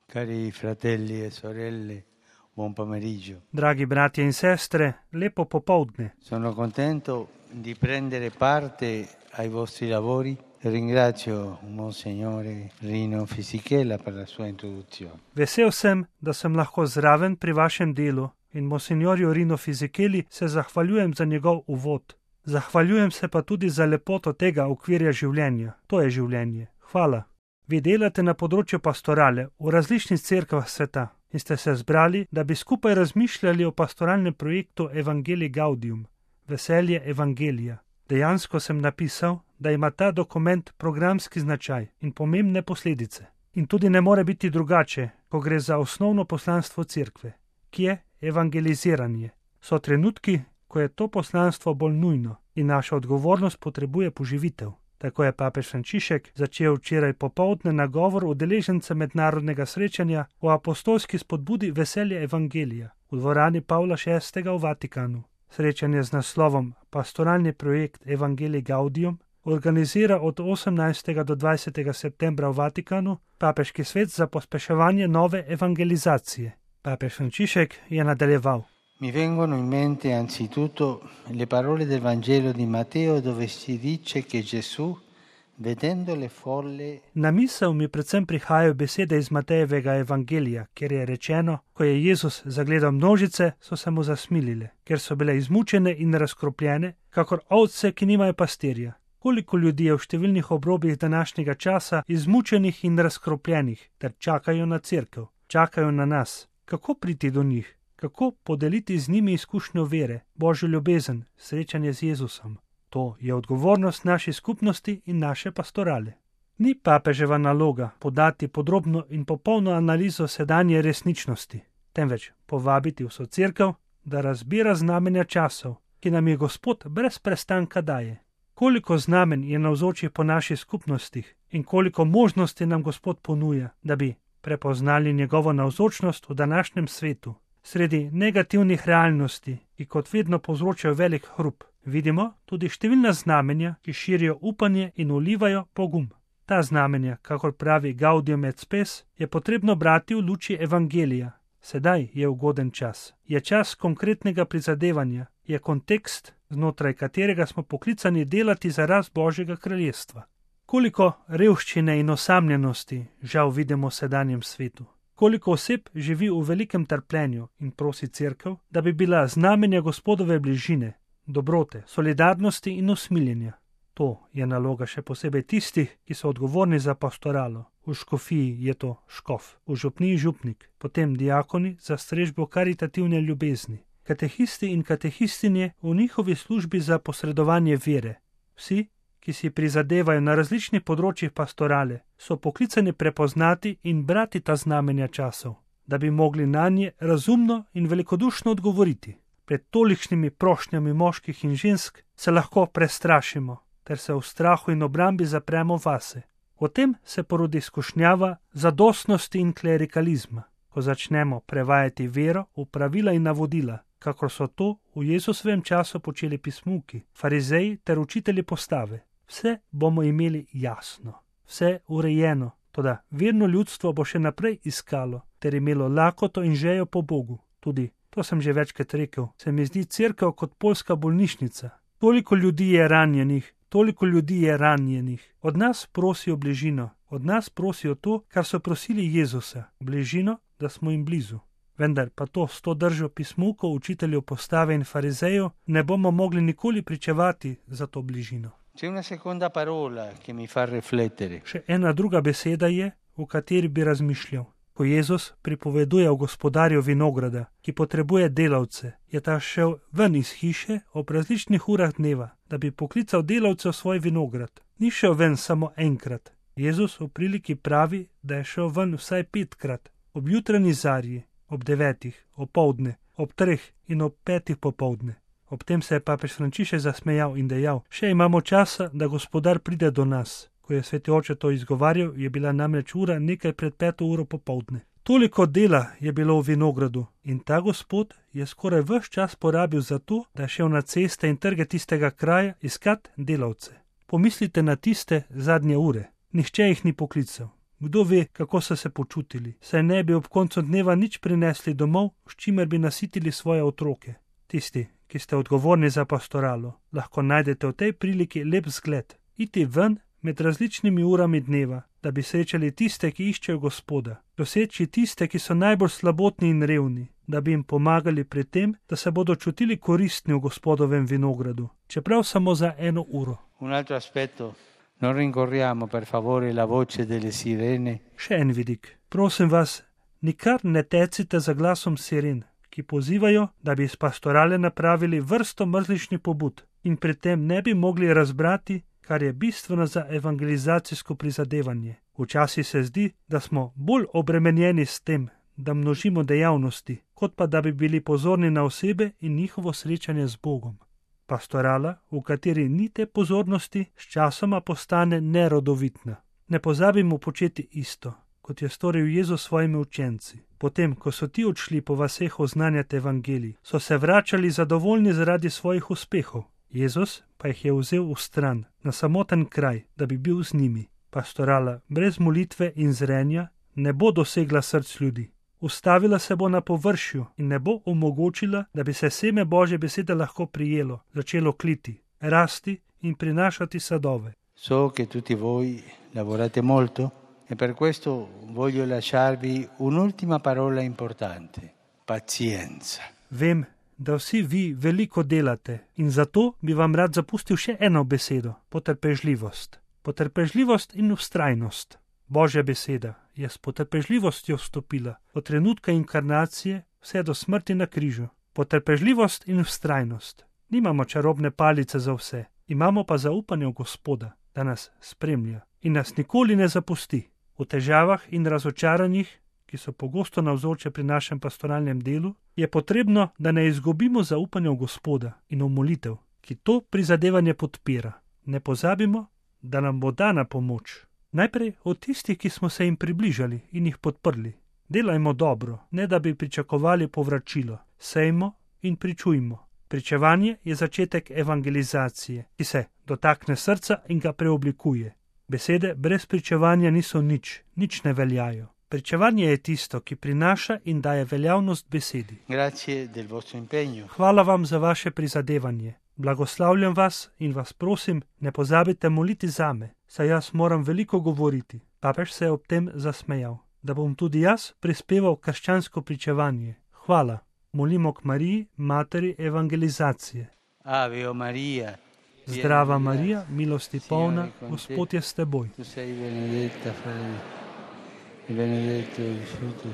Cari fratelli e sorelle, buon pomeriggio. Dragi bratje in sestre, lepo popoldne. Sono contento di prendere parte ai vostri lavori e ringrazio Monsignore Rino Fisichella per la sua introduzione. Vesel sem, da sem lahko zraven pri vašem delu in monsignorju Rino Fisicheli se zahvaljujem za njegov uvod. Zahvaljujem se pa tudi za lepoto tega okvirja življenja. To je življenje. Hvala. Vi delate na področju pastorale v različnih cerkvah sveta in ste se zbrali, da bi skupaj razmišljali o pastoralnem projektu Evangelii Gaudium, veselje evangelija. Dejansko sem napisal, da ima ta dokument programski značaj in pomembne posledice. In tudi ne more biti drugače, ko gre za osnovno poslanstvo cerkve, ki je evangeliziranje. So trenutki, ko je to poslanstvo bolj nujno in naša odgovornost potrebuje poživitev. Tako je papež Frančišek začel včeraj popoldne nagovor udeležencem mednarodnega srečanja o apostolski spodbudi veselje evangelija v dvorani Pavla VI. V Vatikanu. Srečanje z naslovom Pastoralni projekt Evangelii Gaudium organizira od 18. do 20. septembra v Vatikanu Papeški svet za pospeševanje nove evangelizacije. Papež Frančišek je nadaljeval. Mi vengono in mente anzitutto le parole del Vangelo di Matteo dove si dice che Gesù, vedendo le folle... Na misel mi predvsem prihajajo besede iz Matejevega evangelija, kjer je rečeno, ko je Jezus zagledal množice, so se mu zasmilile, ker so bile izmučene in razkropljene, kakor ovce, ki nimajo pastirja. Koliko ljudi je v številnih obrobjih današnjega časa izmučenih in razkropljenih, ter čakajo na cerkev, čakajo na nas. Kako priti do njih? Kako podeliti z njimi izkušnjo vere, Božjo ljubezen, srečanje z Jezusom? To je odgovornost naše skupnosti in naše pastorale. Ni papeževa naloga podati podrobno in popolno analizo sedanje resničnosti, temveč povabiti vso cerkev, da razbira znamenja časov, ki nam je Gospod brez prestanka daje. Koliko znamen je navzočih po naših skupnostih in koliko možnosti nam Gospod ponuja, da bi prepoznali njegovo navzočnost v današnjem svetu. Sredi negativnih realnosti, ki kot vedno povzročajo velik hrup, vidimo tudi številna znamenja, ki širijo upanje in vlivajo pogum. Ta znamenja, kakor pravi Gaudium et Spes, je potrebno brati v luči evangelija. Sedaj je ugoden čas. Je čas konkretnega prizadevanja, je kontekst, znotraj katerega smo poklicani delati za rast Božjega kraljestva. Koliko revščine in osamljenosti žal vidimo v sedanjem svetu. Koliko oseb živi v velikem trpljenju in prosi cerkev, da bi bila znamenja Gospodove bližine, dobrote, solidarnosti in usmiljenja. To je naloga še posebej tistih, ki so odgovorni za pastoralo. V škofiji je to škof, v župniji župnik, potem diakoni za strežbo karitativne ljubezni, katehisti in katehistinje v njihovi službi za posredovanje vere. Vsi, ki si prizadevajo na različnih področjih pastorale, so poklicani prepoznati in brati ta znamenja časov, da bi mogli nanje razumno in velikodušno odgovoriti. Pred tolikšnimi prošnjami moških in žensk se lahko prestrašimo, ter se v strahu in obrambi zapremo vase. O tem se porodi skušnjava zadostnosti in klerikalizma, ko začnemo prevajati vero v pravila in navodila, kakor so to v Jezusovem času počeli pismuki, farizeji ter učitelji postave. Vse bomo imeli jasno, vse urejeno, toda verno ljudstvo bo še naprej iskalo ter imelo lakoto in žejo po Bogu. Tudi, to sem že večkrat rekel, se mi zdi cerkev kot poljska bolnišnica. Toliko ljudi je ranjenih. Od nas prosijo bližino, od nas prosijo to, kar so prosili Jezusa, bližino, da smo jim blizu. Vendar pa to s to držo pismukov, učiteljev postave in farizejev ne bomo mogli nikoli pričevati za to bližino. C'è una seconda parola che mi fa riflettere. Še ena druga beseda je, v kateri bi razmišljal. Ko Jezus pripoveduje o gospodarju vinograda, ki potrebuje delavce, je ta šel ven iz hiše ob različnih urah dneva, da bi poklical delavce v svoj vinograd. Ni šel ven samo enkrat. Jezus v priliki pravi, da je šel ven vsaj 5-krat, ob jutranji zarji, ob 9, opoldne, ob 3 in ob 5 popoldne. Ob tem se je papež Frančišek zasmejal in dejal, še imamo časa, da gospodar pride do nas. Ko je sveti oče to izgovarjal, je bila namreč ura nekaj pred 5 uro popoldne. Toliko dela je bilo v vinogradu in ta gospod je skoraj ves čas porabil za to, da je šel na ceste in trge tistega kraja iskat delavce. Pomislite na tiste zadnje ure. Nihče jih ni poklical. Kdo ve, kako so se počutili, saj ne bi ob koncu dneva nič prinesli domov, s čimer bi nasitili svoje otroke. Tisti, ki ste odgovorni za pastoralo, lahko najdete v tej priliki lep zgled. Iti ven med različnimi urami dneva, da bi srečali tiste, ki iščejo Gospoda, doseči tiste, ki so najbolj slabotni in revni, da bi jim pomagali pri tem, da se bodo čutili koristni v Gospodovem vinogradu, čeprav samo za 1 uro. Un altro aspetto, non rincorriamo per favore la voce delle sirene. Še en vidik. Prosim vas, nikar ne tecite za glasom siren, ki pozivajo, da bi iz pastorale napravili vrsto mrzličnih pobud in pri tem ne bi mogli razbrati, kar je bistveno za evangelizacijsko prizadevanje. Včasih se zdi, da smo bolj obremenjeni s tem, da množimo dejavnosti, kot pa da bi bili pozorni na osebe in njihovo srečanje z Bogom. Pastorala, v kateri ni te pozornosti, sčasoma postane nerodovitna. Ne pozabimo početi isto, kot je storil Jezus svojimi učenci. Potem, ko so ti odšli po vaseh oznanjati evangelij, so se vračali zadovoljni zaradi svojih uspehov. Jezus pa jih je vzel v stran, na samoten kraj, da bi bil z njimi. Pastorala brez molitve in zrenja ne bo dosegla src ljudi. Ustavila se bo na površju in ne bo omogočila, da bi se seme Božje besede lahko prijelo, začelo kliti, rasti in prinašati sadove. So che tutti voi lavorate molto e per questo voglio lasciarvi un'ultima parola importante: pazienza. Vem, da vsi vi veliko delate in zato bi vam rad zapustil še eno besedo: potrpežljivost. Potrpežljivost in vztrajnost. Božja beseda je s potrpežljivostjo vstopila od trenutka inkarnacije vse do smrti na križu. Potrpežljivost in vztrajnost. Nimamo čarobne palice za vse, imamo pa zaupanje v Gospoda, da nas spremlja in nas nikoli ne zapusti. V težavah in razočaranjih, ki so pogosto navzoče pri našem pastoralnem delu, je potrebno, da ne izgubimo zaupanja v Gospoda in v molitev, ki to prizadevanje podpira. Ne pozabimo, da nam bo dana pomoč. Najprej od tistih, ki smo se jim približali in jih podprli. Delajmo dobro, ne da bi pričakovali povračilo. Sejmo in pričujmo. Pričevanje je začetek evangelizacije, ki se dotakne srca in ga preoblikuje. Besede brez pričevanja niso nič, nič ne veljajo. Pričevanje je tisto, ki prinaša in daje veljavnost besedi. Grazie del vostro impegno. Hvala vam za vaše prizadevanje. Blagoslavljam vas in vas prosim, ne pozabite moliti zame, saj jaz moram veliko govoriti. Papež se je ob tem zasmejal, da bom tudi jaz prispeval krščansko pričevanje. Hvala. Molimo k Mariji, materi evangelizacije. Ave o Maria. Zdrava Marija, milosti polna, Gospod je s teboj. Tu sei benedetta fra le donne, e benedetto il frutto